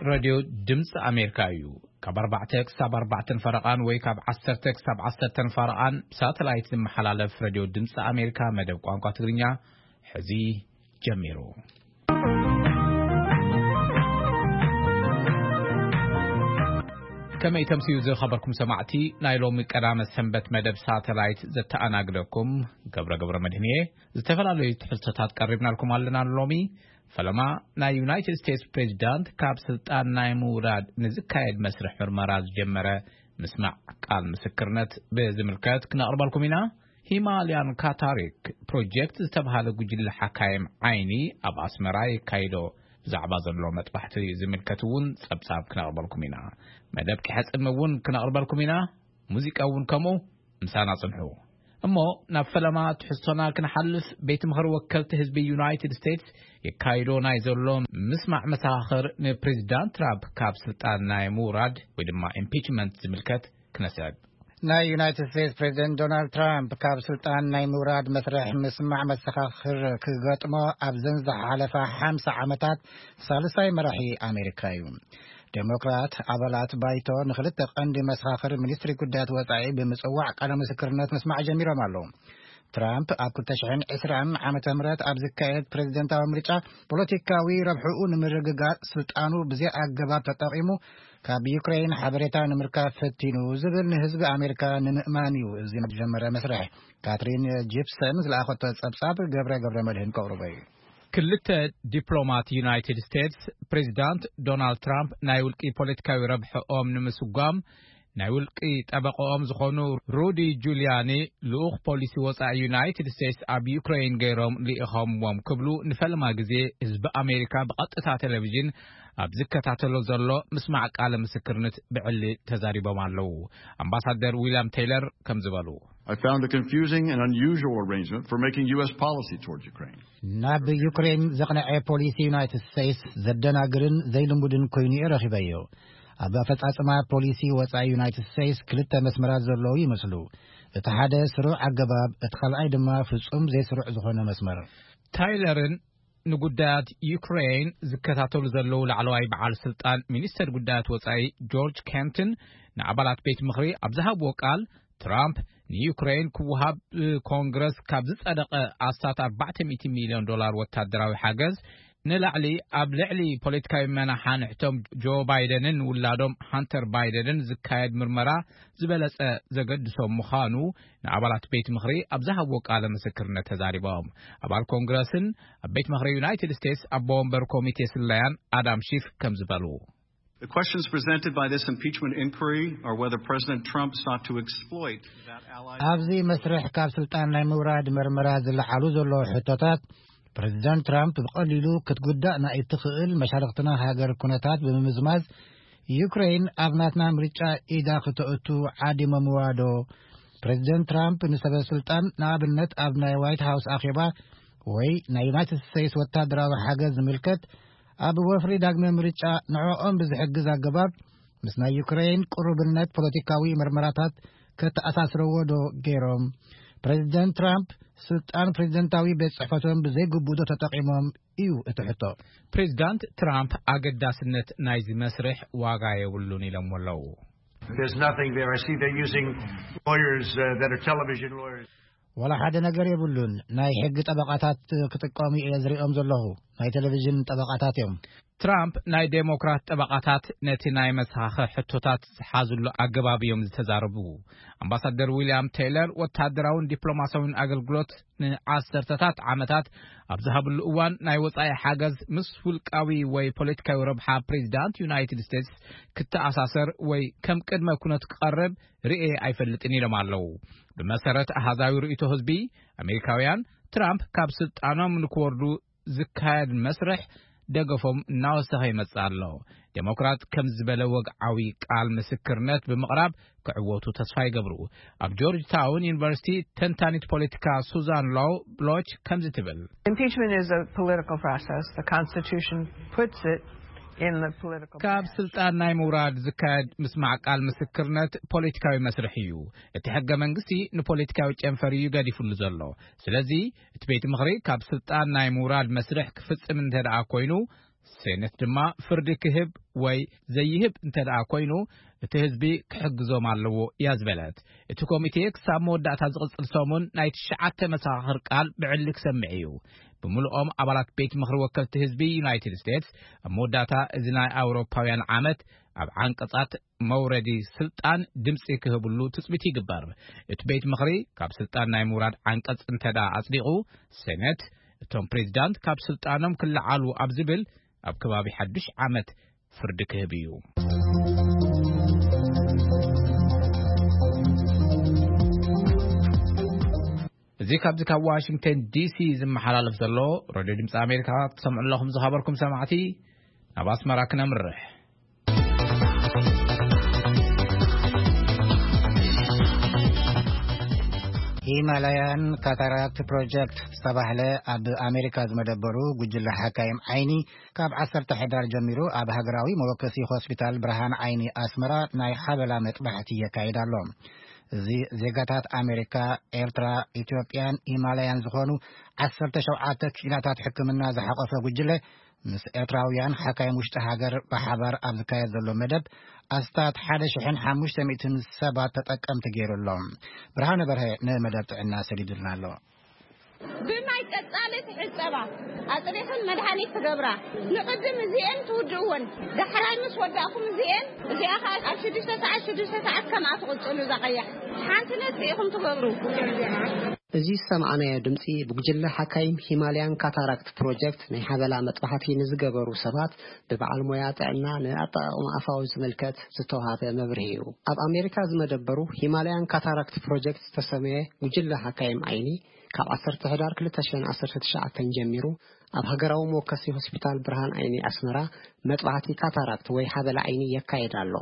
ሬድዮ ድምፂ ኣሜሪካ እዩ። ካብ ኣርባዕተ ክሳብ ኣርባዕተን ፈረቓን ወይ ካብ ዓሰርተ ክሳብ ዓሰርተን ፈረቓን ብሳተላይት ዝመሓላለፍ ሬድዮ ድምፂ ኣሜሪካ መደብ ቋንቋ ትግርኛ ሕዚ ጀሚሩ። ከመይ ተምስዩ ዝኸበርኩም ሰማዕቲ፣ ናይ ሎሚ ቀዳመ ሰንበት መደብ ሳተላይት ዘተኣናግደኩም ገብረ ገብረ መድህን እየ። ዝተፈላለዩ ትሕዝቶታት ቀሪብናልኩም ኣለና። ሎሚ ፈለማ ናይ ዩናይትድ ስቴትስ ፕሬዚዳንት ካብ ስልጣን ናይ ምውራድ ንዝካየድ መስርሕ ምርመራ ዝጀመረ ምስማዕ ቃል ምስክርነት ብዝምልከት ክነቕርበልኩም ኢና። ሂማልያን ካታሪክ ፕሮጀክት ዝተባሃለ ጉጅለ ሓካይም ዓይኒ ኣብ ኣስመራ የካይዶ ብዛዕባ ዘሎ መጥባሕቲ ዝምልከት እውን ጸብጻብ ክነቕርበልኩም ኢና። መደብ ኪሐጽም እውን ክነቕርበልኩም ኢና። ሙዚቃ እውን ከምኡ። ምሳና ጽንሑ። እሞ ናብ ፈለማ ትሕዝቶና ክንሓልፍ፣ ቤት ምኽሪ ወከልቲ ህዝቢ ዩናይትድ ስቴትስ የካይዶ ናይ ዘሎ ምስማዕ መሰኻኽር ንፕሬዚዳንት ትራምፕ ካብ ስልጣን ናይ ምውራድ ወይ ድማ ኢምፒችመንት ዝምልከት ክነስዕብ። ናይ ዩናይትድ ስቴትስ ፕሬዚደንት ዶናልድ ትራምፕ ካብ ስልጣን ናይ ምውራድ መስርሕ ምስማዕ መሰኻኽር ክገጥሞ ኣብዘን ዝሓለፋ ሓምሳ ዓመታት ሳልሳይ መራሒ ኣሜሪካ እዩ። ዴሞክራት ኣባላት ባይቶ ንክልተ ቀንዲ መሰኻኽር ሚኒስትሪ ጉዳያት ወጻኢ ብምጽዋዕ ቃለ ምስክርነት ምስማዕ ጀሚሮም ኣለዉ። ትራምፕ ኣብ ክልተ ሽሕን ዕስራን ዓመተ ምህረት ኣብ ዝካየድ ፕሬዚደንታዊ ምርጫ ፖለቲካዊ ረብሕኡ ንምርግጋጽ ስልጣኑ ብዘይ ኣገባብ ተጠቒሙ ካብ ዩክሬን ሓበሬታ ንምርካብ ፈቲኑ ዝብል ንህዝቢ ኣሜሪካ ንምእማን እዩ እዚ ዝጀመረ መስርሕ። ካትሪን ጂፕሰን ዝለኣኸቶ ጸብጻብ ገብረ ገብረ መድህን ከቕርቦ እዩ። ክልተ ዲፕሎማት ዩናይትድ ስቴትስ ፕሬዚዳንት ዶናልድ ትራምፕ ናይ ውልቂ ፖለቲካዊ ረብሕኦም ንምስጓም ናይ ውልቂ ጠበቆኦም ዝኾኑ ሩዲ ጁሊያኒ ልኡኽ ፖሊሲ ወጻኢ ዩናይትድ ስቴትስ ኣብ ዩክሬን ገይሮም ልኢኾምዎም ክብሉ ንፈለማ ግዜ ህዝቢ ኣሜሪካ ብቐጥታ ቴሌቪዥን ኣብ ዝከታተሎ ዘሎ ምስማዕ ቃለ ምስክርነት ብዕሊ ተዛሪቦም ኣለዉ። ኣምባሳደር ዊልያም ቴይለር ከም ዝበሉ፣ I found a confusing and unusual arrangement for making U S policy towards Ukraine. ናብ ዩክሬን ዘቕነዐ ፖሊሲ ዩናይትድ ስቴትስ ዘደናግርን ዘይልሙድን ኮይኑ እየ ረኺበዮ። ኣብ ኣፈጻጽማ ፖሊሲ ወጻኢ ዩናይትድ ስቴትስ ክልተ መስመራት ዘለዉ ይመስሉ። እቲ ሓደ ስሩዕ ኣገባብ፣ እቲ ካልኣይ ድማ ፍጹም ዘይስሩዕ ዝኾነ መስመር። ታይለርን ንጉዳያት ዩክሬን ዝከታተሉ ዘለዉ ላዕለዋይ በዓል ስልጣን ሚኒስተር ጉዳያት ወጻኢ ጆርጅ ኬንትን ንኣባላት ቤት ምኽሪ ኣብ ዝሃብዎ ቃል፣ ትራምፕ ንዩክሬን ክወሃብ ብኮንግረስ ካብ ዝጸደቐ ኣስታት ኣርባዕተ ሚእቲ ሚልዮን ዶላር ወታደራዊ ሓገዝ ንላዕሊ፣ ኣብ ልዕሊ ፖለቲካዊ መናሓንሕቶም ጆ ባይደንን ውላዶም ሃንተር ባይደንን ዝካየድ ምርመራ ዝበለጸ ዘገድሶም ምዃኑ ንኣባላት ቤት ምኽሪ ኣብ ዝሃብዎ ቃለ ምስክርነት ተዛሪቦም። ኣባል ኮንግረስን ኣብ ቤት ምኽሪ ዩናይትድ ስቴትስ ኣቦ ወንበር ኮሚቴ ስለያን ኣዳም ሺፍ ከም ዝበሉ፣ The questions presented by this impeachment inquiry are whether President Trump sought to exploit that ally. ኣብዚ መስርሕ ካብ ስልጣን ናይ ምውራድ መርመራ ዝለዓሉ ዘለዉ ሕቶታት፣ ፕሬዚዳንት ትራምፕ ብቐሊሉ ክትጉዳእ ናይ እትኽእል መሻርኽትና ሃገር ኩነታት ብምምዝማዝ፣ ዩክሬን ኣብ ናትና ምርጫ ኢዳ ክተእቱ ዓዲሞምዋ ዶ? ፕሬዚደንት ትራምፕ ንሰበ ስልጣን፣ ንኣብነት ኣብ ናይ ዋይት ሃውስ ኣኼባ ወይ ናይ ዩናይትድ ስቴትስ ወታደራዊ ሓገዝ ዝምልከት፣ ኣብ ወፍሪ ዳግመ ምርጫ ንዕኦም ብዝሕግዝ ኣገባብ ምስ ናይ ዩክሬን ቅሩብነት ፖለቲካዊ መርመራታት ከተኣሳስረዎ ዶ ገይሮም? ፕሬዚደንት ትራምፕ ስልጣን ፕሬዚደንታዊ ቤት ጽሕፈቶም ብዘይግቡእ ዶ ተጠቒሞም እዩ እቲ ሕቶ። ፕሬዚዳንት ትራምፕ ኣገዳስነት ናይዚ መስርሕ ዋጋ የብሉን ኢሎምዎ ኣለዉ። There's nothing there. I see they're using lawyers uh, that are television lawyers. ዋላ ሓደ ነገር የብሉን። ናይ ሕጊ ጠበቓታት ክጥቀሙ እየ ዝሪኦም ዘለኹ። ናይ ቴሌቪዥን ጠበቓታት እዮም። ትራምፕ ናይ ዴሞክራት ጠበቓታት ነቲ ናይ መሰኻኽር ሕቶታት ዝሓዝሉ ኣገባብ እዮም ዝተዛረቡ። ኣምባሳደር ዊልያም ቴይለር ወታደራውን ዲፕሎማሲያውን ኣገልግሎት ንዓሰርተታት ዓመታት ኣብ ዝሃብሉ እዋን፣ ናይ ወጻኢ ሓገዝ ምስ ውልቃዊ ወይ ፖለቲካዊ ረብሓ ፕሬዚዳንት ዩናይትድ ስቴትስ ክተኣሳሰር ወይ ከም ቅድመ ኩነት ክቐርብ ርእየ ኣይፈልጥን ኢሎም ኣለዉ። ብመሰረት ኣሃዛዊ ርእይቶ ህዝቢ፣ ኣሜሪካውያን ትራምፕ ካብ ስልጣኖም ንክወርዱ ዝካየድ መስርሕ ደገፎም እናወሰኸ ይመጽእ ኣሎ። ዴሞክራት ከም ዝበለ ወግዓዊ ቃል ምስክርነት ብምቕራብ ክዕወቱ ተስፋ ይገብሩ። ኣብ ጆርጅ ታውን ዩኒቨርሲቲ ተንታኒት ፖለቲካ ሱዛን ሎው ብሎች ከምዚ ትብል፣ Impeachment is a political process. The Constitution puts it in the political ካብ branch. ስልጣን ናይ ምውራድ ዝካየድ ምስማዕ ቃል ምስክርነት ፖለቲካዊ መስርሕ እዩ። እቲ ሕገ መንግስቲ ንፖለቲካዊ ጨንፈር እዩ ገዲፉሉ ዘሎ። ስለዚ እቲ ቤት ምኽሪ ካብ ስልጣን ናይ ምውራድ መስርሕ ክፍጽም እንተ ደኣ ኮይኑ፣ ሴነት ድማ ፍርዲ ክህብ ወይ ዘይህብ እንተ ደኣ ኮይኑ፣ እቲ ህዝቢ ክሕግዞም ኣለዎ እያ ዝበለት። እቲ ኮሚቴ ክሳብ መወዳእታ ዝቕጽል ሰሙን ናይ ትሽዓተ መሰኻኽር ቃል ብዕሊ ክሰምዕ እዩ። ብምልኦም ኣባላት ቤት ምኽሪ ወከልቲ ህዝቢ ዩናይትድ ስቴትስ ኣብ መወዳእታ እዚ ናይ ኣውሮፓውያን ዓመት ኣብ ዓንቀጻት መውረዲ ስልጣን ድምጺ ክህብሉ ትጽቢት ይግበር። እቲ ቤት ምኽሪ ካብ ስልጣን ናይ ምውራድ ዓንቀጽ እንተ ደኣ ኣጽዲቑ፣ ሴነት እቶም ፕሬዚዳንት ካብ ስልጣኖም ክለዓሉ ኣብ ዝብል ኣብ ከባቢ ሓዱሽ ዓመት ፍርዲ ክህብ እዩ። እዚ ካብዚ ካብ ዋሽንግተን ዲሲ ዝመሓላለፍ ዘሎ ሬድዮ ድምፂ ኣሜሪካ ትሰምዑ ኣለኹም። ዝኸበርኩም ሰማዕቲ፣ ናብ ኣስመራ ክነምርሕ። ሂማላያን ካታራክት ፕሮጀክት ዝተባህለ ኣብ ኣሜሪካ ዝመደበሩ ጉጅለ ሓካይም ዓይኒ ካብ ዓሰርተ ሕዳር ጀሚሩ ኣብ ሃገራዊ መወከሲ ሆስፒታል ብርሃን ዓይኒ ኣስመራ ናይ ሓበላ መጥባሕቲ የካይድ ኣሎ። እዚ ዜጋታት ኣሜሪካ፣ ኤርትራ፣ ኢትዮጵያን ሂማላያን ዝኾኑ ዓሰርተ ሸውዓተ ክኢላታት ሕክምና ዝሓቆፈ ጉጅለ ምስ ኤርትራውያን ሓካይም ውሽጢ ሃገር ብሓባር ኣብ ዝካየድ ዘሎ መደብ ኣስታት ሓደ ሽሕን ሓሙሽተ ሚእትን ሰባት ተጠቀምቲ ገይሩ ኣሎ። ብርሃነ በርሀ ንመደብ ጥዕና ሰዲዱልና ኣሎ። ብማይ ቀጻሊ ትሕጸባ፣ ኣጽሪኽን መድሃኒት ትገብራ። ንቕድም እዚኤን ትውድእወን፣ ዳሕራይ ምስ ወዳእኩም እዚኤን፣ እዚኣ ኸኣ ኣብ ሽዱሽተ ሰዓት፣ ሽዱሽተ ሰዓት ከምኣ ትቕጽሉ። እዛ ቀያሕ ሓንቲ ነጥቢ ኢኹም ትገብሩ። እዚ ዝሰማዕናዮ ድምጺ ብጉጅለ ሓካይም ሂማልያን ካታራክት ፕሮጀክት ናይ ሓበላ መጥባሕቲ ንዝገበሩ ሰባት ብበዓል ሞያ ጥዕና ንኣጠቓቕማ ኣፋዊ ዝምልከት ዝተዋህበ መብርሂ እዩ። ኣብ ኣሜሪካ ዝመደበሩ ሂማልያን ካታራክት ፕሮጀክት ዝተሰመየ ጉጅለ ሓካይም ዓይኒ ካብ ዓሰርተ ሕዳር ክልተ ሽሕን ዓሰርተ ትሽዓተን ጀሚሩ ኣብ ሃገራዊ መወከሲ ሆስፒታል ብርሃን ዓይኒ ኣስመራ መጥባሕቲ ካታራክት ወይ ሓበላ ዓይኒ የካየድ ኣሎ።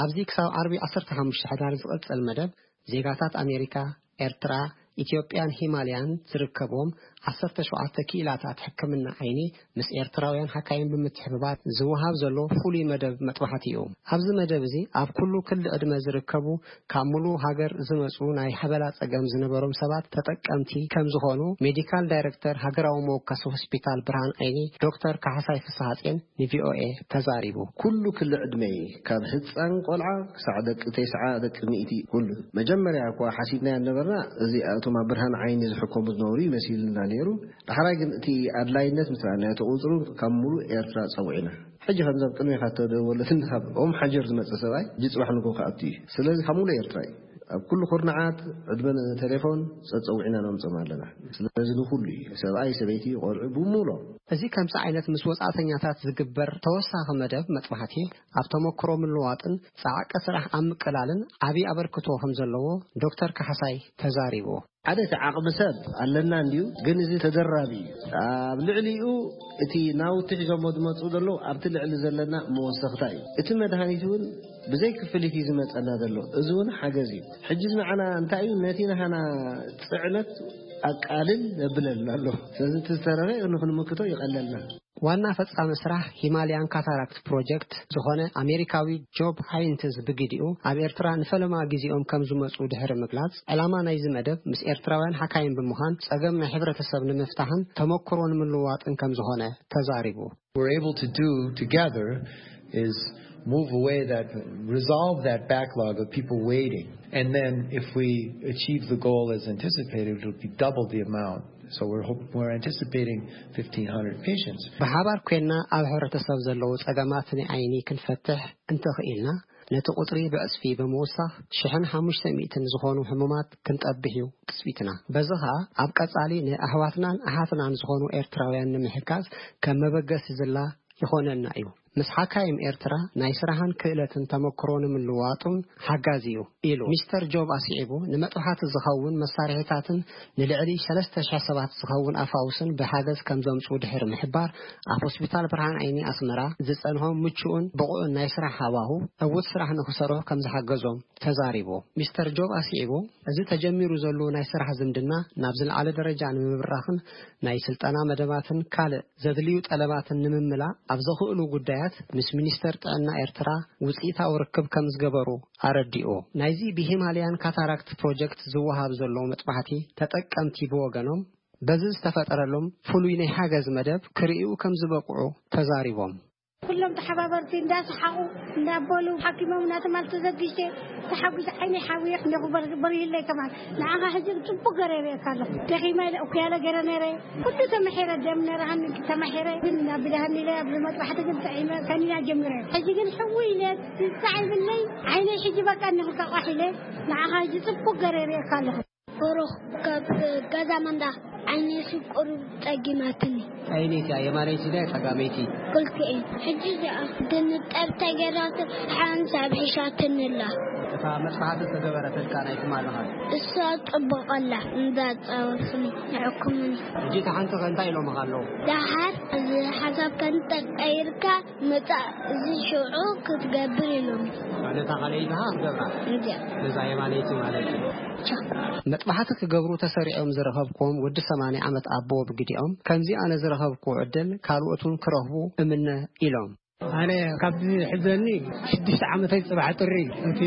ኣብዚ ክሳብ ዓርቢ ዓሰርተ ሓሙሽተ ሕዳር ዝቕጽል መደብ ዜጋታት ኣሜሪካ፣ ኤርትራ፣ ኢትዮጵያን ሂማልያን ዝርከብዎም ዓሰርተ ሸውዓተ ክኢላታት ሕክምና ዓይኒ ምስ ኤርትራውያን ሓካይም ብምትሕብባር ዝወሃብ ዘሎ ፍሉይ መደብ መጥባሕቲ እዩ። ኣብዚ መደብ እዚ ኣብ ኩሉ ክሊ ዕድመ ዝርከቡ ካብ ሙሉእ ሃገር ዝመጹ ናይ ሓበላ ጸገም ዝነበሮም ሰባት ተጠቀምቲ ከም ዝኾኑ ሜዲካል ዳይሬክተር ሃገራዊ መወከሲ ሆስፒታል ብርሃን ዓይኒ ዶክተር ካሕሳይ ፍስሓጽዮን ን ቪ ኦ ኤ ተዛሪቡ። ኩሉ ክሊ ዕድመ እዩ፣ ካብ ህጻን ቆልዓ ክሳዕ ደቂ ተስዓ፣ ደቂ ሚእቲ፣ ኩሉ። መጀመርያ እኳ ሓሲብናዮ ነበርና፣ እዚ እቶም ኣብ ብርሃን ዓይኒ ዝሕከሙ ዝነበሩ ይመሲልና ነይሩ። ዳሕራይ ግን እቲ ኣድላይነት ምስ ረኣናዮ፣ እቲ ቁጽሩ ካብ ሙሉእ ኤርትራ ጸዊዕና። ሕጂ ከምዚ ኣብ ቅድሜኻ እተደወለትን ካብ ኦም ሓጀር ዝመጸ ሰብኣይ፣ ሕጂ ጽባሕ ንግሆ ክኣቱ እዩ። ስለዚ ካብ ሙሉእ ኤርትራ እዩ። ኣብ ኩሉ ኩርናዓት ዕድመ ቴሌፎን ጸጸዊዕና ነምጽኦም ኣለና። ስለዚ ንኹሉ እዩ፣ ሰብኣይ፣ ሰበይቲ፣ ቆልዑ ብምሉኦም። እዚ ከምዚ ዓይነት ምስ ወጻእተኛታት ዝግበር ተወሳኺ መደብ መጥባሕቲ ኣብ ተመክሮ ምልዋጥን ጻዕቂ ስራሕ ኣብ ምቅላልን ዓቢ ኣበርክቶ ከም ዘለዎ ዶክተር ካሕሳይ ተዛሪቡ። ሓደ እቲ ዓቕሚ ሰብ ኣለና እንድዩ፣ ግን እዚ ተደራቢ እዩ። ኣብ ልዕሊኡ እቲ ናውቲ ሒዞሞ ዝመጹ ዘለዉ ኣብቲ ልዕሊ ዘለና መወሰኽታ እዩ። እቲ መድሃኒት እውን ብዘይ ክፍሊት እዩ ዝመጸና ዘሎ። እዚ እውን ሓገዝ እዩ። ሕጂ ንዓና እንታይ እዩ፣ ነቲ ናህና ጽዕነት ኣቃልል የብለልና ኣሎ። ስለዚ እቲ ዝተረፈ ንኽንምክቶ ይቐለልና። ዋና ፈጻሚ ስራሕ ሂማልያን ካታራክት ፕሮጀክት ዝኾነ ኣሜሪካዊ ጆብ ሃይንትዝ ብግዲኡ ኣብ ኤርትራ ንፈለማ ግዜኦም ከም ዝመጹ ድሕሪ ምግላጽ፣ ዕላማ ናይዚ መደብ ምስ ኤርትራውያን ሓካይም ብምዃን ጸገም ናይ ሕብረተሰብ ንምፍታሕን ተመክሮ ንምልዋጥን ከም ዝኾነ ተዛሪቡ። We're able to do together is move away that, resolve that backlog of people waiting. And then if we achieve the goal as anticipated, it'll be double the amount. So we're hoping, we're anticipating fifteen hundred patients. ብሓባር ኮይና ኣብ ሕብረተሰብ ዘለዉ ጸገማት ናይ ዓይኒ ክንፈትሕ እንተኽኢልና፣ ነቲ ቁጽሪ ብዕጽፊ ብምውሳኽ ሽሕን ሓሙሽተ ሚእትን ዝኾኑ ሕሙማት ክንጠብሕ እዩ ትጽቢትና። በዚ ኸኣ ኣብ ቀጻሊ ንኣሕዋትናን ኣሓትናን ዝኾኑ ኤርትራውያን ንምሕጋዝ ከም መበገሲ ዝላ ይኾነና እዩ። ምስ ሓካይም ኤርትራ ናይ ስራሕን ክእለትን ተመክሮ ንምልዋጡን ሓጋዚ እዩ ኢሉ። ሚስተር ጆብ ኣስዒቡ፣ ንመጥባሕቲ ዝኸውን መሳርሒታትን ንልዕሊ ሰለስተ ሽሕ ሰባት ዝኸውን ኣፋውስን ብሓገዝ ከም ዘምጽኡ ድሕሪ ምሕባር፣ ኣብ ሆስፒታል ብርሃን ዓይኒ ኣስመራ ዝጸንሆም ምቹእን ብቑዕን ናይ ስራሕ ሃዋሁ ዕዉት ስራሕ ንኽሰርሑ ከም ዝሓገዞም ተዛሪቡ። ሚስተር ጆብ ኣስዒቡ፣ እዚ ተጀሚሩ ዘሎ ናይ ስራሕ ዝምድና ናብ ዝለዓለ ደረጃ ንምብራኽን ናይ ስልጠና መደባትን ካልእ ዘድልዩ ጠለባትን ንምምላእ ኣብ ዘኽእሉ ጉዳያት ምስ ሚኒስተር ጥዕና ኤርትራ ውጽኢታዊ ርክብ ከም ዝገበሩ ኣረዲኡ። ናይዚ ብሂማልያን ካታራክት ፕሮጀክት ዝወሃብ ዘሎ መጥባሕቲ ተጠቀምቲ ብወገኖም፣ በዚ ዝተፈጠረሎም ፍሉይ ናይ ሓገዝ መደብ ክርእዩ ከም ዝበቕዑ ተዛሪቦም። ኩሎም ተሓባበርቲ እንዳሰሓቑ እንዳበሉ ሓኪሞም እናተማል ተዘጊጀ ተሓጒስ ዓይነይ ሓውየ እንዲኹ በር-፣ በሪህለይ ከማን። ንዓኻ ሕጂ ጽቡቕ ገረ የርእየካ ኣለኹ። ደኺማ ኢለ እኩያለ ገረ ነረ። ኩሉ ተመሒረ፣ ደም ነረሃኒ ተመሒረ። ግን ናብ ብድሃኒ ኢለ ኣብ መጥባሕቲ ግን ጥዒመ ከኒና ጀሚረ። ሕጂ ግን ሕዊ ኢለ ትንሳዕ ይብለይ። ዓይነይ ሕጂ በቃ እንዲኹ ቃቋሕ ኢለ። ንዓኻ ሕጂ ጽቡቕ ገረ የርእየካ ኣለኹ። ብሩኽ ካብ ገዛ መንዳ ዓይነይ ሽቁር ጸጊማትኒ። ዓይነይቲ እያ የማነይቲ ድያ ጸጋመይቲ? ክልቲኤን። ሕጂ እዚኣ ድንጠብ ተገይራቶ ሓንሳብ ሒሻትኒ ኣላ። እታ መጽሓፊ ዝተገበረትልካ ናይ ትማሊ ኸ? እሳ ጽቡቕ ኣላ፣ እንዳጻወትኒ ይሕኩምኒ። ሕጂ እታ ሓንቲ ኸ እንታይ ኢሎምኻ ኣለዉ? ደሓር እዚ ሓሳብ ከንጠቀይርካ ምጻእ እዚ ሽዑ ክትገብር ኢሎም። ነታ ካልኣይቲ ኸኣ ክትገብራ? እንድያ። ነዛ የማነይቲ ማለት እዩ። ቻ። መጥባሕቲ ክገብሩ ተሰሪዖም ዝረኸብኩዎም ወዲ ሰማንያ ዓመት ኣቦ ብግዲኦም፣ ከምዚ ኣነ ዝረኸብኩዎ ዕድል ካልኦት እውን ክረኽቡ እምነ ኢሎም። ኣነ ካብዚ ሕዘኒ ሽዱሽተ ዓመተይ ጽባሕ ጥሪ፣ እቲ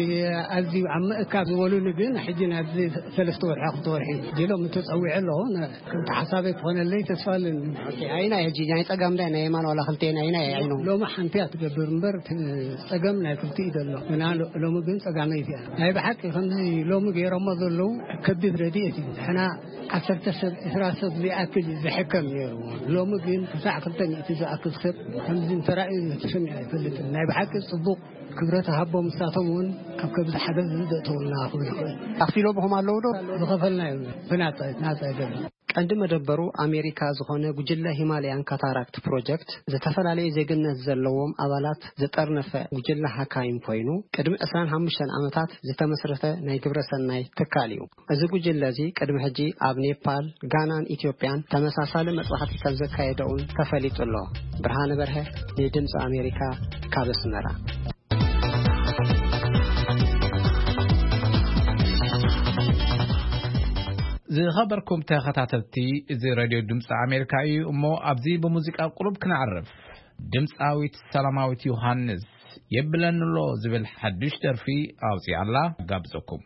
ኣዝዩ ኣብ ምእካብ ዝበሉኒ ግን ሕጂ ናብዚ ሰለስተ ወርሒ ክልተ ወርሒ ዲሎም ተጸዊዐ ኣለኹ። ነ-፣ ከምቲ ሓሳበይ ክኾነለይ ተስፋ ኣለኒ። ኦኬ፣ ኣይናይ ሕጂ ናይ ጸጋም ዳይ ናይ የማን ዋላ ክልቴን ኣይናይ ዓይኖም? ሎሚ ሓንቲ እያ ትገብር እምበር፣ እቲ ጸገም ናይ ክልቲኡ ዘሎ። ግና ሎ-፣ ሎሚ ግን ጸጋመይቲ እያ። ናይ ብሓቂ ከምዚ ሎሚ ገይሮሞ ዘለዉ ከቢድ ረድኤት እዩ። ንሕና ዓሰርተ ሰብ፣ ዕስራ ሰብ ዝኣክል እዩ ዝሕከም ነይሩ። ሎሚ ግን ክሳዕ ክልተ ሚእቲ ዝኣክል ሰብ ከምዚ እንተራእዩ ተሰሚዑ ኣይፈልጥን። ናይ ብሓቂ ጽቡቕ ክብረት ሃቦም፣ ንሳቶም እውን ኣብ ከምዚ ሓገዝ ዘእተውልና ክብል ይኽእል። ኣኽፊሎምኹም ኣለዉ ዶ? ዝኸፈልናዮ ብናጻ፣ ናጻ ይገብር። ቀንዲ መደበሩ ኣሜሪካ ዝኾነ ጉጅለ ሂማለያን ካታራክት ፕሮጀክት፣ ዝተፈላለየ ዜግነት ዘለዎም ኣባላት ዝጠርነፈ ጉጅለ ሓካይም ኮይኑ፣ ቅድሚ ዕስራን ሓሙሽተን ዓመታት ዝተመስረተ ናይ ግብረ ሰናይ ትካል እዩ። እዚ ጉጅለ እዚ ቅድሚ ሕጂ ኣብ ኔፓል፣ ጋናን ኢትዮጵያን ተመሳሳሊ መጽዋዕቲ ከም ዘካየደ እውን ተፈሊጡ ኣሎ። ብርሃነ በርሀ፣ ንድምፂ ኣሜሪካ፣ ካብ ኣስመራ። ዝኸበርኩም ተኸታተልቲ፣ እዚ ሬድዮ ድምፂ ኣሜሪካ እዩ። እሞ ኣብዚ ብሙዚቃ ቁሩብ ክነዕርፍ። ድምፃዊት ሰላማዊት ዮሃንስ የብለንሎ ዝብል ሓድሽ ደርፊ ኣውፂኣላ። ጋብዘኩም።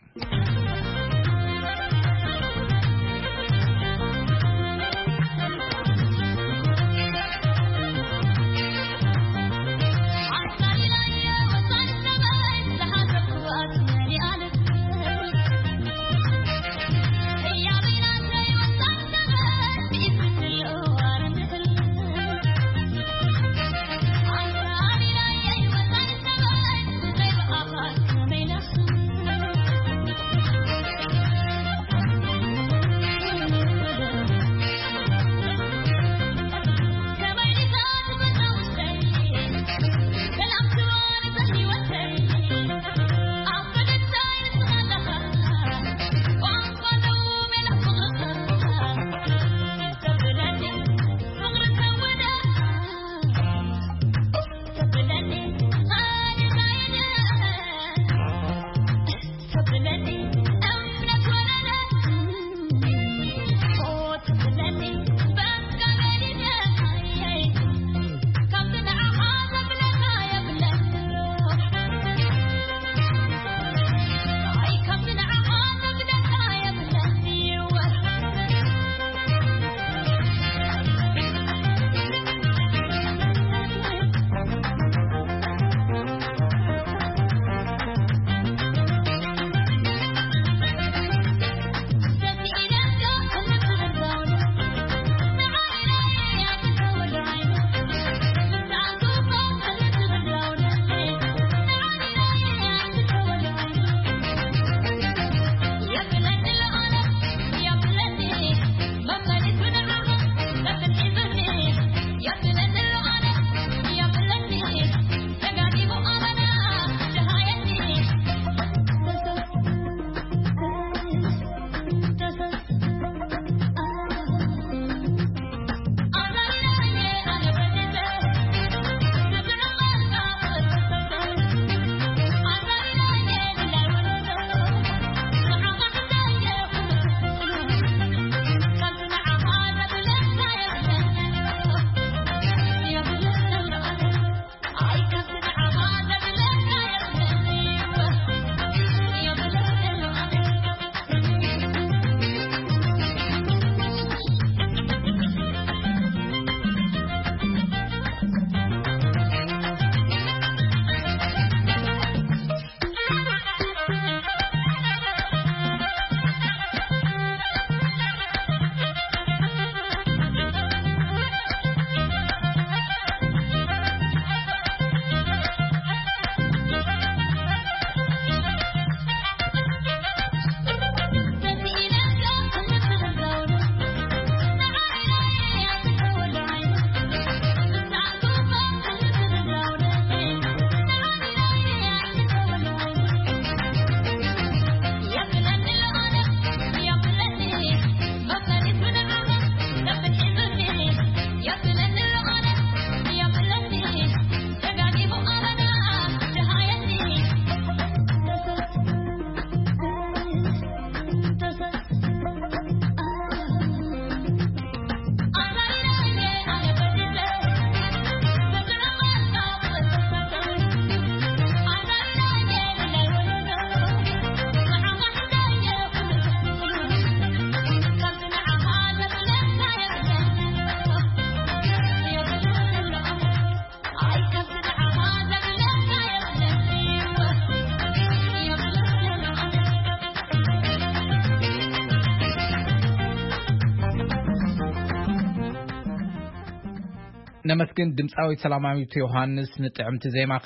ነመስግን ድምፃዊት ሰላማዊት ዮሃንስ ንጥዕምቲ ዜማኺ።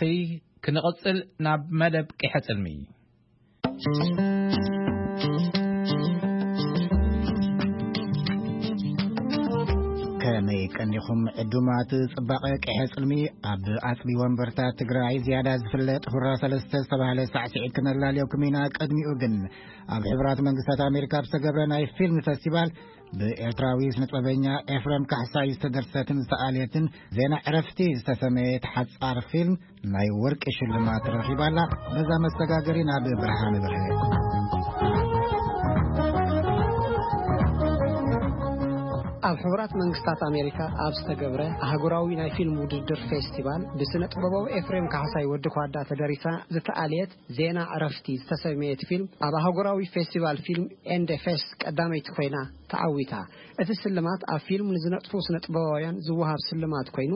ክንቕፅል ናብ መደብ ቂሐ ፅልሚ። ከመይ ቀኒኹም ዕዱማት ጽባቐ ቅሐ ጽልሚ? ኣብ ኣጽቢ ወንበርታ ትግራይ ዝያዳ ዝፍለጥ ሁራ ሰለስተ ዝተባህለ ሳዕስዒት ክነላልየኩም ኢና። ቅድሚኡ ግን ኣብ ሕቡራት መንግስታት ኣሜሪካ ኣብ ዝተገብረ ናይ ፊልም ፈስቲቫል ብኤርትራዊ ስነጥበበኛ ኤፍሬም ካሕሳይ ዝተደርሰትን ዝተኣልየትን ዜና ዕረፍቲ ዝተሰመየት ሓጻር ፊልም ናይ ወርቂ ሽልማት ረኺባላ። በዛ መሰጋገሪ ናብ ብርሃን ብርሃን። ኣብ ሕቡራት መንግስታት ኣሜሪካ ኣብ ዝተገብረ ኣህጉራዊ ናይ ፊልም ውድድር ፌስቲቫል ብስነ ጥበባዊ ኤፍሬም ካሕሳይ ወዲ ኳዳ ተደሪሳ ዝተኣልየት ዜና ዕረፍቲ ዝተሰመየት ፊልም ኣብ ኣህጉራዊ ፌስቲቫል ፊልም ኤንደ ፌስት ቀዳመይቲ ኮይና ተዓዊታ። እቲ ስልማት ኣብ ፊልም ንዝነጥፉ ስነ ጥበባውያን ዝወሃብ ስልማት ኮይኑ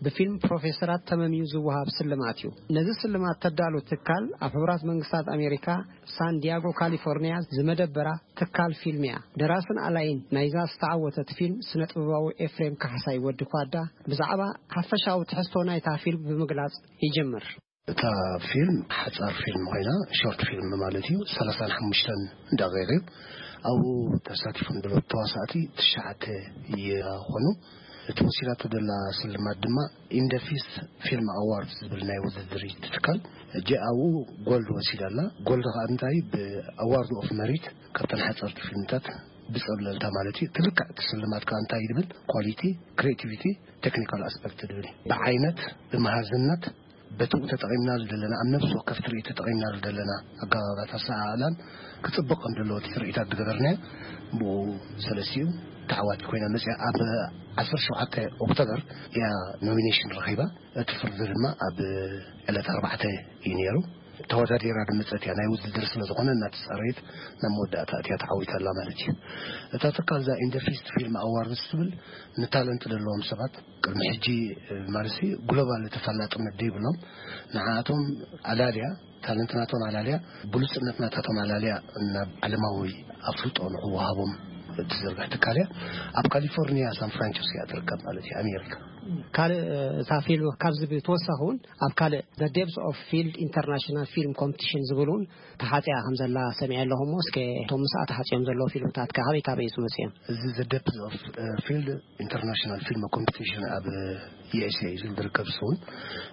ብፊልም ፕሮፌሰራት ተመምዩ ዝወሃብ ስልማት እዩ። ነዚ ስልማት ተዳሉ ትካል ኣብ ሕቡራት መንግስታት ኣሜሪካ ሳን ዲያጎ ካሊፎርኒያ ዝመደበራ ትካል ፊልም እያ። ደራስን ኣላይን ናይዛ ዝተዓወተት ፊልም ስነ ጥበባዊ ኤፍሬም ካሕሳይ ወዲ ኳዳ ብዛዕባ ሓፈሻዊ ትሕዝቶ ናይታ ፊልም ብምግላጽ ይጀምር። እታ ፊልም ሓጻር ፊልም ኮይና፣ ሾርት ፊልም ማለት እዩ። ሰላሳን ሓሙሽተን ደቂቕ እዩ። ኣብኡ ተሳቲፎም ዘለዉ ተዋሳእቲ ትሽዓተ ይኾኑ። እቲ ወሲዳቶ ዘላ ስልማት ድማ ኢንደፊስ ፊልም ኣዋርድ ዝብል ናይ ውድድር እዩ ትካል። እጂ ኣብኡ ጎልድ ወሲዳ ኣላ። ጎልድ ከኣ እንታይ ብኣዋርድ ኦፍ መሪት ካብተን ሓጸርቲ ፊልምታት ብጸብለልታ ማለት እዩ። ትልክዕ እቲ ስልማት ከኣ እንታይ ይብል? ኳሊቲ፣ ክሬቲቪቲ፣ ቴክኒካል ኣስፐክት ዝብል እዩ። ብዓይነት፣ ብመሃዝነት፣ በቲ ተጠቒምናሉ ዘለና፣ ኣብ ነፍሲ ወከፍ ትርኢት ተጠቒምናሉ ዘለና ኣገባባት ኣሰኣእላን ክጽብቕ ከም ዘለዎ እቲ ትርኢታት ዝገበርናዮ ብኡ ሰለስቲኡ ተዓዋቲ ኮይና መጽያ። ኣብ ዓሰርተ ሸውዓተ ኦክቶበር እያ ኖሚኔሽን ረኺባ። እቲ ፍርዲ ድማ ኣብ ዕለት ኣርባዕተ እዩ ነይሩ። ተወዳዲራ ዝመጸት እያ። ናይ ውድድር ስለ ዝኾነ እናተጻረየት ናብ መወዳእታ እትያ ተዓዊታ ኣላ ማለት እዩ። እታ ትካል እዛ ኢንደፊስት ፊልም ኣዋርድስ ትብል ንታለንት ዘለዎም ሰባት ቅድሚ ሕጂ፣ እ፣ ማለት ሲ ግሎባል ተፈላጥነት ዘይብሎም ንዓኣቶም ኣላልያ፣ ታለንት ናቶም ኣላልያ፣ ብሉጽነት ናታቶም ኣላልያ ናብ ዓለማዊ ኣፍልጦ ንኽወሃቦም እትዝርግሕ ትካል እያ። ኣብ ካሊፎርኒያ ሳን ፍራንሲስኮ እያ ትርከብ ማለት እዩ፣ ኣሜሪካ። ካልእ፣ እ፣ እታ ፊልም ካብዚ ብተወሳኺ እውን ኣብ ካልእ The Depths of Field International Film Competition ዝብል እውን ተሓጽያ ከም ዘላ ሰሚዐ ኣለኹ እሞ፣ እስከ እቶም ምስኣ ተሓጽዮም ዘለዉ ፊልምታት ከ ካበይ ካበይ እዩ ዝመጽኦም? እዚ The Depths of፣ እ፣ Field International Film Competition ኣብ ዩ ኤስ ኤ እዩ ዝርከብ። እሱ እውን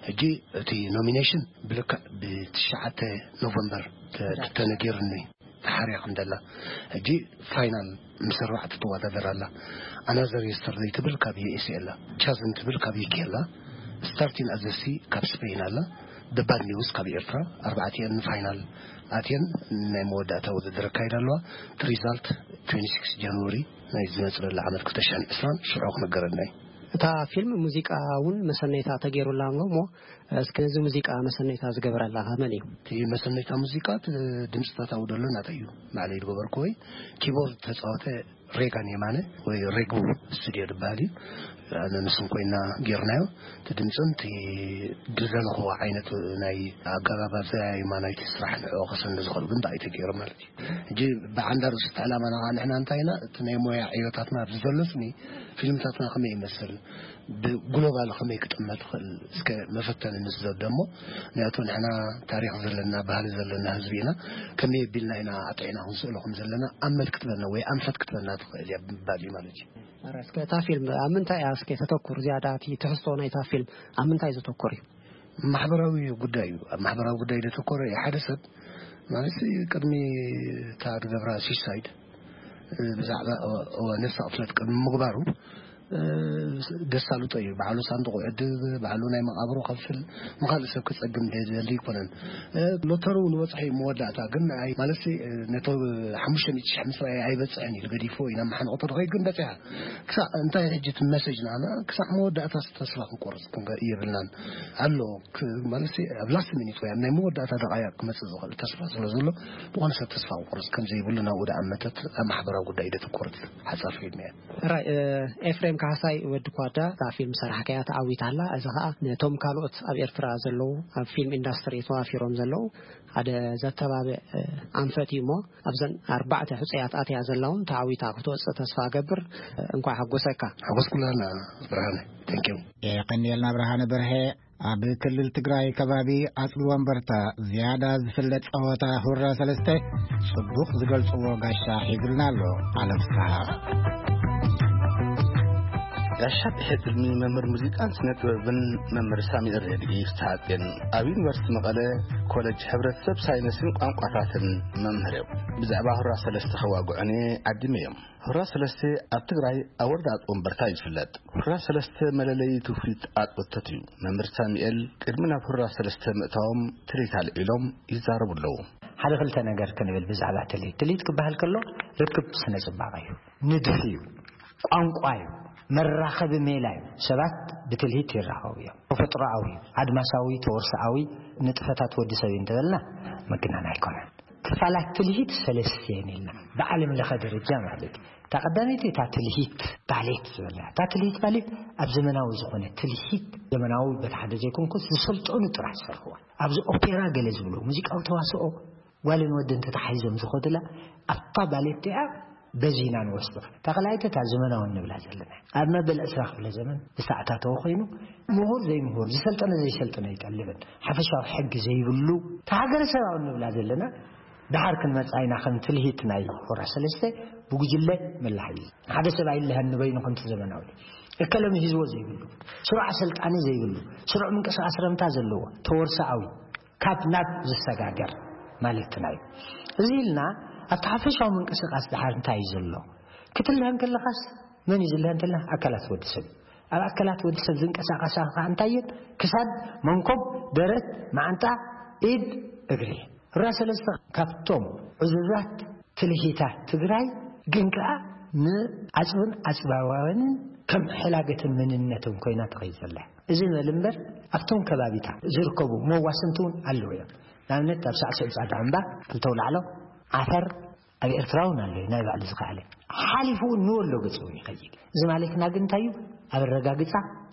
ሕጂ እቲ ኖሚኔሽን ብልክዕ ብትሽዓተ ኖቨምበር ተ-፣ ተነጊሩኒ ተሓርያ ከም ዘላ። ሕጂ ፋይናል ምስ ኣርባዕተ ትወዳደር ኣላ። ኣናዘር የስተርደይ ትብል ካብ ዩ ኤስ ኤ ኣላ። ቻዝን ትብል ካብ ዩ ኬ ኣላ። ስታርቲን ኣዘሲ ካብ ስፔን ኣላ። ደ ባድ ኒውስ ካብ ኤርትራ። ኣርባዕቲኤን ንፋይናል ኣትየን ናይ መወዳእታ ውድድር ኣካይዳ ኣለዋ። እቲ ሪዛልት ትዌንቲ ሲክስ ጃንዋሪ ናይ ዝመጽእ ዘሎ ዓመት ክልተ ሽሕን ዕስራን ሽዑ ክነገረና እዩ። እታ ፊልም ሙዚቃ እውን መሰነይታ ተገይሩላ ኣሎ እሞ፣ እስኪ ነዚ ሙዚቃ መሰነይታ ዝገበረላ መን እዩ? እቲ መሰነይታ ሙዚቃ፣ እቲ ድምፅታት ኣብኡ ዘሎ ናተይ እዩ። ባዕለይ ዝገበርኩ ወይ ኪቦርድ ተፃወተ ሬጋን የማነ ወይ ሬጉ ስቱድዮ ዝበሃል እዩ። ኣነ ንሱን ኮይና ጌርናዮ። እቲ ድምፅን እቲ ዝደለኽዎ ዓይነት ናይ ኣገባብ ኣዘያይማ ናይቲ ስራሕ ንዕኡ ከሰኒ ዝኽእል ግን ብኣይ ተገይሩ ማለት እዩ። ሕጂ ብዓንዳ ርእሱ እቲ ዕላማና ከዓ ንሕና እንታይ ኢና፣ እቲ ናይ ሞያ ዕዮታትና ኣብዚ ዘሎ ስኒ ፊልምታትና ከመይ ይመስል፣ ብግሎባል ከመይ ክጥመት ይኽእል፣ እስከ መፈተኒ ንስደዶ እሞ፣ ምክንያቱ ንሕና ታሪኽ ዘለና፣ ባህሊ ዘለና ህዝቢ ኢና፣ ከመይ ኣቢልና ኢና ኣጥዒና ክንስእሎ ከም ዘለና ኣመል ክትበና ወይ ኣንፈት ክትበና ትኽእል እያ ብምባል እዩ ማለት እዩ። ኣረ፣ እስከ እታ ፊልም ኣብ ምንታይ እያ እስከ ተተኩር ዝያዳ፣ እቲ ትሕዝቶ ናይታ ፊልም ኣብ ምንታይ ዘተኩር እዩ? ማሕበራዊ ጉዳይ እዩ። ኣብ ማሕበራዊ ጉዳይ ዘተኮረ እዩ። ሓደ ሰብ ማለት ቅድሚ እታ ዝገብራ ሱሳይድ ብዛዕባ ነፍሲ ቅትለት ቅድሚ ምግባሩ ደሳልጦ እዩ። ባዕሉ ሳንዱቕ ይዕድግ፣ ባዕሉ ናይ መቓብሩ ከፍል፣ ንኻልእ ሰብ ክጸግም ደሊ ኣይኮነን። ሎተሪ እውን በጽሐ እዩ መወዳእታ፣ ግን ኣይ፣ ማለት ነቶ ሓሙሽተ ሚእቲ ሽሕ ምስ ረኣየ ኣይበጽሕን ኢሉ ገዲፎ ኢና መሓንቆ ተደኸይ ግን በጺሓ። ክሳዕ እንታይ ሕጂ እቲ መሰጅ ንኣና ክሳዕ መወዳእታ ተስፋ ክንቆርጽ ክንገ-፣ የብልናን። ኣሎ ክ-፣ ማለት ኣብ ላስት ሚኒት ወይ ኣብ ናይ መወዳእታ ደቓይቕ ክመጽእ ዝኽእል ተስፋ ስለ ዘሎ፣ ብኾነ ሰብ ተስፋ ክቆርጽ ከም ዘይብሉ ናብኡ ደኣ መተት ኣብ ማሕበራዊ ጉዳይ ደተኮረት ሓጻር ፊልም እያ። ሕራይ፣ እ፣ ኤፍሬም ካሕሳይ ወዲ ኳዳ እዛ ፊልም ሰራሕካያ ተዓዊታ ኣላ። እዚ ኸኣ ነቶም ካልኦት ኣብ ኤርትራ ዘለዉ ኣብ ፊልም ኢንዳስትሪ ተዋፊሮም ዘለዉ ሓደ ዘተባብዕ ኣንፈት እዩ። እሞ ኣብዘን ኣርባዕተ ሕጹያት ኣትያ ዘላ እውን ተዓዊታ ክትወጽእ ተስፋ እገብር። እንኳዕ ሓጎሰካ። ሓጎስኩና። ብርሃነ፣ thank you። የቐንየልና ብርሃነ በርሀ። ኣብ ክልል ትግራይ ከባቢ ኣፅቢ ወንበርታ ዝያዳ ዝፍለጥ ፀወታ ሁራ ሰለስተ ፅቡቕ ዝገልፅዎ ጋሻ ሒዙልና ኣሎ። ዓለም ፍስሓ። ጋሻ ብሕልሚ መምህር ሙዚቃን ስነ ጥበብን መምህር ሳሚኤል ረድኢ ፍስሓጽዮን ኣብ ዩኒቨርሲቲ መቐለ ኮሌጅ ሕብረተሰብ ሳይንስን ቋንቋታትን መምህር እዮም። ብዛዕባ ሁራ ሰለስተ ከዋግዑኒ ዓዲመ እዮም። ሁራ ሰለስተ ኣብ ትግራይ ኣብ ወረዳ ኣፅቢ ወንበርታ እዩ ዝፍለጥ። ሁራ ሰለስተ መለለዪ ትውፊት ኣፅቢ ወንበርታ እዩ። መምህር ሳሚኤል ቅድሚ ናብ ሁራ ሰለስተ ምእታዎም ትርኢት ኣልዒሎም ይዛረቡ ኣለዉ። ሓደ ክልተ ነገር ክንብል ብዛዕባ ትልሂት። ትልሂት ክበሃል ከሎ ርክብ ስነ ጽባቐ እዩ፣ ንድፊ እዩ፣ ቋንቋ እዩ፣ መራኸቢ ሜላ እዩ። ሰባት ብትልሂት ይራኸቡ እዮም። ተፈጥሮኣዊ፣ ኣድማሳዊ፣ ተወርሶኣዊ ንጥፈታት ወዲ ሰብ እዩ እንተበልና ምግናን ኣይኮነን። ክፋላት ትልሂት ሰለስተ እየን ኢልና ብዓለም ለኸ ደረጃ ማለት እዩ። እታ ቀዳመይቲ እታ ትልሂት ባሌት ዝበልና። እታ ትልሂት ባሌት ኣብ ዘመናዊ ዝኾነ ትልሂት፣ ዘመናዊ በቲ ሓደ ዘይኮንኩስ ዝሰልጠኑ ጥራሕ ዝሰርሕዋ። ኣብዚ ኦፔራ ገለ ዝብሉ ሙዚቃዊ ተዋስኦ ጓልን ወድን ተታሒዞም ዝኸዱላ ኣብታ ባሌት እቲኣ በዚ ኢና ንወስዶ። እታ ካልኣይቲ እታ ዘመናዊ እንብላ ዘለና ኣብ መበል ዕስራ ክፍለ ዘመን ዝተኣታተወ ኮይኑ ምሁር ዘይምሁር፣ ዝሰልጠነ ዘይሰልጠነ ኣይጠልብን። ሓፈሻዊ ሕጊ ዘይብሉ እታ ሃገረሰባዊ እንብላ ዘለና ደሓር ክንመጽኣ ኢና። ከም ትልሂት ናይ ሆራ ሰለስተ ብጉጅለ መላሓይ ሓደ ሰብ ኣይለሃን ንበይኑ ከምቲ ዘመናዊ እከለ ምሂዝዎ ዘይብሉ፣ ስሩዕ ኣሰልጣኒ ዘይብሉ፣ ስሩዕ ምንቅስቃስ ረምታ ዘለዎ፣ ተወርሶኣዊ ካብ ናብ ዝሰጋገር ማለትና እዩ። እዚ ኢልና ኣብቲ ሓፈሻዊ ምንቅስቃስ ደሓር እንታይ እዩ ዘሎ ክትልሃን ከለኻስ መን እዩ ዝልሃን እንተልና ኣካላት ወዲ ሰብ እዩ። ኣብ ኣካላት ወዲ ሰብ ዝንቀሳቐሳ ከዓ እንታይ እየን? ክሳድ፣ መንኮብ፣ ደረት፣ መዓንጣ፣ ኢድ፣ እግሪ። ራ ሰለስተ ካብቶም ዕዙዛት ትልሂታት ትግራይ ግን ከዓ ንዓፅብን ዓፅባውያንን ከም ሕላገትን መንነትን ኮይና ተኸይድ ዘላ። እዚ በል እምበር ኣብቶም ከባቢታት ዝርከቡ መዋስንቲ እውን ኣለዉ እዮም። ንኣብነት ኣብ ሳዕስዕ ፃዳ እምባ ክልተ ኣውላዕሎ ዓፈር ኣብ ኤርትራ እውን ኣሎ ናይ ባዕሉ ዝኸኣለ። ሓሊፉ እውን ንወሎ ገፅ እውን ይኸይድ። እዚ ማለትና ግን እንታይ እዩ? ኣብ ኣረጋግፃ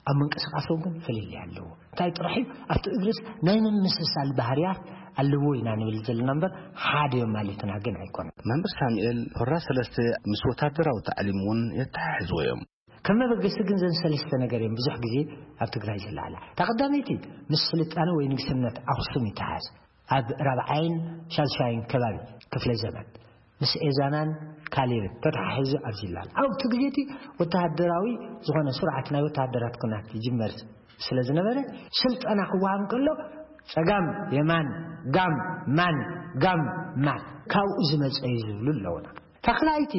ኣብ ምንቅስቃሶም ግን ፍልልይ ኣለዎ። እንታይ ጥራሕ እዩ? ኣብቲ እግርስ ናይ ምምስሳል ባህርያት ኣለዎ ኢና ንብል ዘለና እምበር ሓደ እዮም ማለትና ግን ኣይኮነን። መምህር ሳሙኤል፣ ሆራ ሰለስተ ምስ ወታደራዊ ታዕሊም እውን የተሓሕዝዎ እዮም። ከም መበገሲ ግን ዘን ሰለስተ ነገር እዮም ብዙሕ ግዜ ኣብ ትግራይ ዝለዓላ። እታ ቀዳመይቲ ምስ ስልጣነ ወይ ንግስነት ኣኽሱም ይተሓዝ። ኣብ ራብዓይን ሻድሻይን ከባቢ ክፍለ ዘመን ምስ ኤዛናን ካሌብን ተተሓሒዙ ኣብዚ ይለዓል። ኣብቲ ግዜ እቲ ወተሃደራዊ ዝኾነ ስርዓት ናይ ወተሃደራት ኩናት ይጅመር ስለ ዝነበረ ስልጠና ክወሃብ ከሎ ጸጋም የማን፣ ጋም ማን፣ ጋም ማን ካብኡ ዝመጸ እዩ ዝብሉ ኣለውና። ታኽላይቲ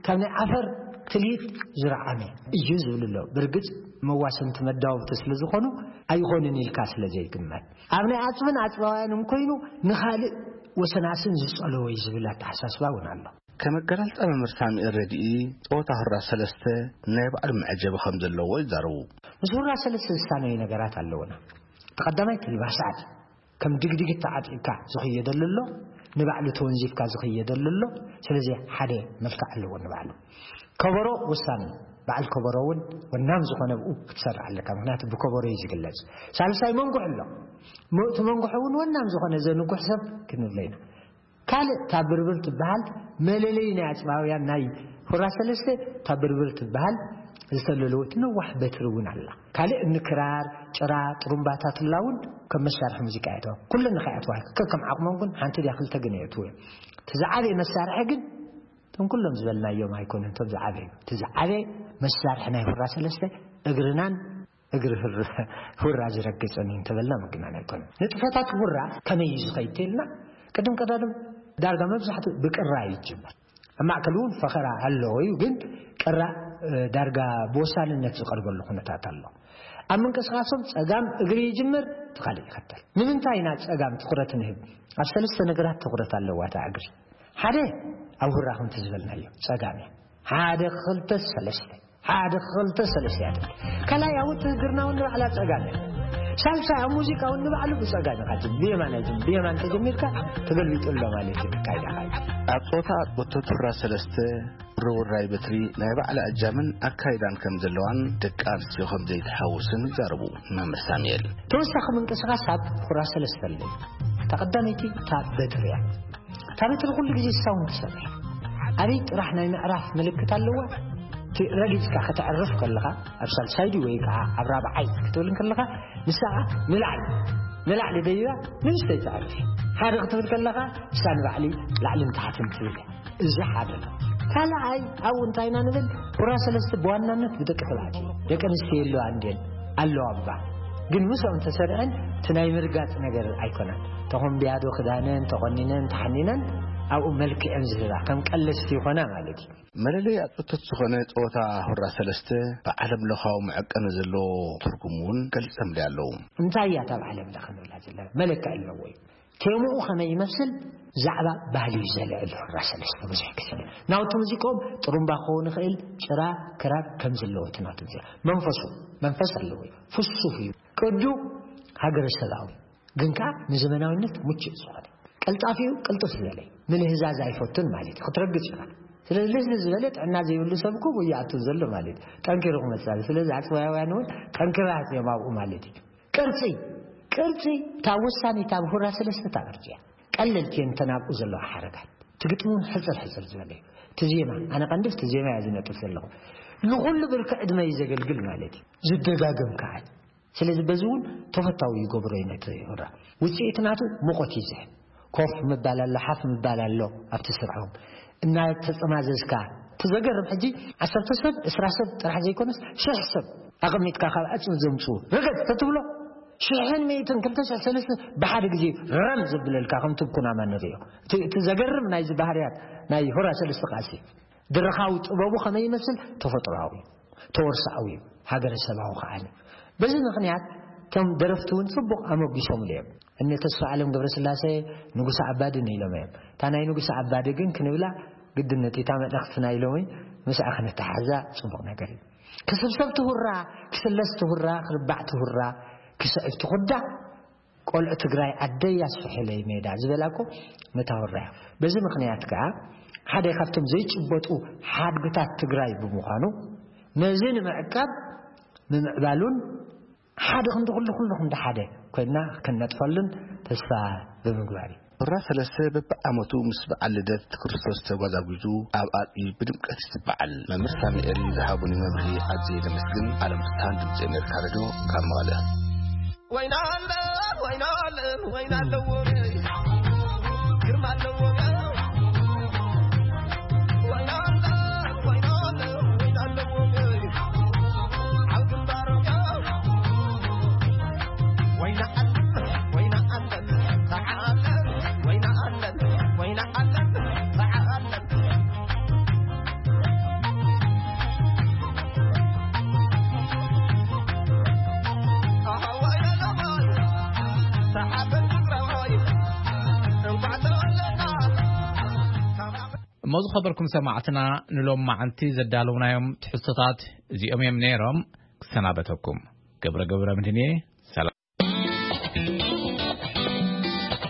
ካብ ናይ ዓፈር ትልሂት ዝረዓመ እዩ ዝብል ኣሎ። ብርግጽ መዋሰንቲ መዳወብቲ ስለ ዝኾኑ ኣይኾንን ኢልካ ስለ ዘይግመት፣ ኣብ ናይ ኣጽብን ኣጽባውያንን ኮይኑ ንኻልእ ወሰናስን ዝጸለወ እዩ ዝብል ኣተሓሳስባ እውን ኣሎ። ከም ኣገላልጻ መምህር ሳሙኤል ረድኢ፣ ጸወታ ሁራ ሰለስተ ናይ ባዕሉ መዐጀቢ ከም ዘለዎ ይዛረቡ። ምስ ሁራ ሰለስተ ዝሳነዩ ነገራት ኣለውና። እቲ ቀዳማይ እቲ ልባሳት ከም ድግድግ ተዓጢቕካ ዝኽየደሉ ኣሎ፣ ንባዕሉ ተወንዚፍካ ዝኽየደሉ ኣሎ። ስለዚ ሓደ መልክዕ ኣለዎ ንባዕሉ። ከበሮ ወሳኒ፣ በዓል ከበሮ እውን ወናም ዝኾነ ብኡ ክትሰርዕ ኣለካ፣ ምኽንያቱ ብከበሮ እዩ ዝግለጽ። ሳልሳይ መንጉሕ ኣሎ። ሞ-፣ እቲ መንጉሕ እውን ወናም ዝኾነ ዘንጉሕ ሰብ ክንብሎ ኢና። ካልእ እታ ብርብር ትበሃል መለለዪ ናይ ኣጽባውያን ናይ ሁራ ሰለስተ፣ እታ ብርብር ትበሃል ዝተለለወት ነዋሕ በትሪ እውን ኣላ። ካልእ እኒ ክራር፣ ጭራ፣ ጥሩምባታት እላ እውን ከም መሳርሒ ሙዚቃ የእተዋ። ኩለን ንኸይኣትዋ ከከም ዓቕሞም ግን ሓንቲ ድያ ክልተ ግን የእትዉ እዮም። እቲ ዝዓበየ መሳርሒ ግን እቶም ኩሎም ዝበልናዮም ኣይኮኑን። እቶም ዝዓበዩ፣ እቲ ዝዓበየ መሳርሒ ናይ ሁራ ሰለስተ እግርናን እግሪ ህር-፣ ሁራ ዝረግጽን እዩ እንተበልና ምግናን ኣይኮነን። ንጥፈታት ሁራ ከመይ እዩ ዝኸይድ ተልና፣ ቅድም ቀዳድም ዳርጋ መብዛሕትኡ ብቅራ እዩ ዝጅመር። ኣብ ማእከል እውን ፈኸራ ኣለዎ እዩ፣ ግን ቅራ፣ እ፣ ዳርጋ ብወሳንነት ዝቐርበሉ ኩነታት ኣሎ። ኣብ ምንቅስቃሶም ጸጋም እግሪ ይጅምር፣ እቲ ካልእ ይኸተል። ንምንታይ ኢና ጸጋም ትኹረት ንህብ? ኣብ ሰለስተ ነገራት ትኹረት ኣለዋ እታ እግሪ። ሓደ ኣብ ሁራ ከምቲ ዝበልናዮ ጸጋም እያ። ሓደ ክልተ ሰለስተ፣ ሓደ ክልተ ሰለስተ እያ ትብል። ካልኣይ ኣብ ውትህድርና እውን ንባዕላ ጸጋም እያ። ሳልሳይ ኣብ ሙዚቃ እውን ንባዕሉ ብጸጋም ኢኻ ትብል። ብየማን ኣይትብል። ብየማን ተጀሚርካ ተገልቢጡ ኣሎ ማለት እዩ። ካይዳ ካይዳ። ኣብ ጾታ ኣጥቦቶ ቱራ ሰለስተ ርውራይ በትሪ ናይ ባዕላ እጃምን ኣካይዳን ከም ዘለዋን ደቂ ኣንስትዮ ከም ዘይትሓውስን ይዛረቡ መምህር ሳሙኤል። ተወሳኺ ምንቅስቃስ ኣብ ሁራ ሰለስተ ኣሎ። እታ ቀዳመይቲ እታ በትሪ እያ። እታ በትሪ ኩሉ ግዜ ሳውን ትሰርሕ። ኣበይ ጥራሕ ናይ ምዕራፍ ምልክት ኣለዋ? እቲ ረጊጽካ ከተዕርፍ ከለኻ ኣብ ሳልሳይ ድዩ ወይ ከዓ ኣብ ራብዓይ ክትብል ከለኻ ንሳ ንላዕሊ ንላዕሊ ደይባ ንእሽተይ ትዕርፍ። ሓደ ክትብል ከለኻ ንሳ ንባዕሊ ላዕልን ታሕትን ትብል። እዚ ሓደ ነው። ካልኣይ ኣብኡ እንታይ ኢና ንብል? ሁራ ሰለስተ ብዋናነት ብደቂ ተባዕትዮ ደቂ ኣንስትዮ የለዋ እንድየን ኣለዋ እባ። ግን ምስኦም ተሰሪዐን እቲ ናይ ምርጋጽ ነገር ኣይኮነን። ተኾምብያዶ ክዳነን ተቖኒነን ተሓኒነን ኣብኡ መልክዐን ዝህባ ከም ቀለስቲ ይኾና ማለት እዩ። መለለይ ኣጽቶት ዝኾነ ጸወታ ሁራ ሰለስተ ብዓለም ለኻዊ መዐቀኒ ዘለዎ ትርጉም እውን ገልጸምሊ ኣለዉ። እንታይ እያ እታ ብዓለም ለኸ ንብላ ዘለና? መለክዒ ኣለዎ እዩ። ቴምኡ ከመይ ይመስል? ዛዕባ ባህሊ እዩ ዘልዕል። ሁራ ሰለስተ ብዙሕ ግዜ ናውቲ ሙዚቆም ጥሩምባ ክኸውን ይኽእል፣ ጭራ፣ ክራር ከም ዘለዎ እቲ ናውቲ ሙዚቃ መንፈሱ መንፈስ ኣለዎ እዩ። ፍሱፍ እዩ። ቅዱ ሃገረሰባዊ ግን ከዓ ንዘመናዊነት ምቹእ ዝኾነ። ቀልጣፊኡ ቅልጥፍ ዝበለ እዩ። ምልህዛዝ ኣይፈቱን ማለት እዩ። ክትረግጽ ኢኻ። ስለዚ ልህዝ ዝበለ ጥዕና ዘይብሉ ሰብ እኮ ይኣቱ ዘሎ ማለት እዩ። ጠንኪሩ ክመጽእ። ስለዚ ኣጽዋያውያን እውን ጠንኪራ እዮም ኣብኡ ማለት እዩ። ቅርጺ፣ ቅርጺ እታ ወሳኒት ኣብ ሁራ ሰለስተ እታ ቅርጺ እያ። ቀለልቲ እየን እተን ኣብኡ ዘለዋ ሓረጋት። እቲ ግጥሚ እውን ሕጽር ሕጽር ዝበለ እዩ። እቲ ዜማ፣ ኣነ ቀንዲ እቲ ዜማ እያ ዝነጥፍ ዘለኹ። ንኹሉ ብርኪ ዕድመ እዩ ዘገልግል ማለት እዩ። ዝደጋገም ከዓ እዩ። ስለዚ በዚ እውን ተፈታዊ ይገብሮ እዩ ነቲ ሁራ። ውጽኢት ናቱ ሙቐት እዩ ዝህብ። ኮፍ ምባል ኣሎ፣ ሓፍ ምባል ኣሎ ኣብቲ ስርሖም። እናተጸማዘዝካ፣ እቲ ዘገርም ሕጂ ዓሰርተ ሰብ፣ ዕስራ ሰብ ጥራሕ ዘይኮነስ ሽሕ ሰብ ኣቐሚጥካ ካብ ዕጽው ዘምጽኡ። ርገጽ ተትብሎ፣ ሽሕን ሚእትን፣ ክልተ ሽሕ ሰለስተ ብሓደ ግዜ ረም ዘብለልካ ከምቲ ኩናማ ንርእዮ። እቲ፣ እቲ ዘገርም ናይዚ ባህርያት ናይ ሁራ ሰለስተ ቃልሲ ድርኻዊ ጥበቡ ከመይ ይመስል? ተፈጥሮኣዊ፣ ተወርሳኣዊ፣ ሃገረሰባዊ ከኣ እዩ። በዚ ምኽንያት እቶም ደረፍቲ እውን ጽቡቕ ኣመጒሶምሉ እዮም። እነ ተስፋ ዓለም ገብረስላሴ ንጉሰ ኣባድን ኢሎም እዮም። እታ ናይ ንጉሰ ኣባዲ ግን ክንብላ ግድነት እታ መልእኽቲ ናይ ሎሚ ምስኣ ክንተሓዛ ጽቡቕ ነገር እዩ። ክስብሰብ ትሁራ፣ ክስለስ ትሁራ፣ ክርባዕ ትሁራ፣ ክስዕብ ትኹዳ፣ ቆልዑ ትግራይ ዓደይ ኣስፍሕለይ ሜዳ ዝበላ እኮ ነታ ሁራ እያ። በዚ ምኽንያት ከኣ ሓደ ካብቶም ዘይጭበጡ ሓድግታት ትግራይ ብምዃኑ ነዚ ንምዕቃብ ምምዕባሉን ሓደ ክንዲ ኩሉ ኩሉ ክንዲ ሓደ ኮይና ክንነጥፈሉን ተስፋ ብምግባር እዩ። ሁራ ሰለስተ በብዓመቱ ምስ በዓል ልደት ክርስቶስ ተጓዛጒዙ ኣብ ኣፅቢ ብድምቀት ይበዓል። መምህር ሳሙኤል ዝሃቡኒ መብርሂ ኣዝየ ዘመስግን። ዓለም ፍትሃን ድምፂ ኣሜሪካ ሬድዮ ካብ መቐለ። ወይና ኣለ፣ ወይና ኣለ፣ ወይና ኣለዎ፣ ግርማ ኣለዎ። ወይና ኣለ፣ ወይና ኣለ፣ ወይና ኣለዎ፣ ኣብ ግንባሩ። ወይና ኣለ፣ ወይና ኣለ፣ ተዓለ፣ ወይና ኣለ፣ ወይና ኣለ፣ ተዓለ። እሞ ዝኸበርኩም ሰማዕትና፣ ንሎም መዓልቲ ዘዳለውናዮም ትሕዝቶታት እዚኦም እዮም ነይሮም። ክሰናበተኩም ገብረ ገብረ ምድንየ።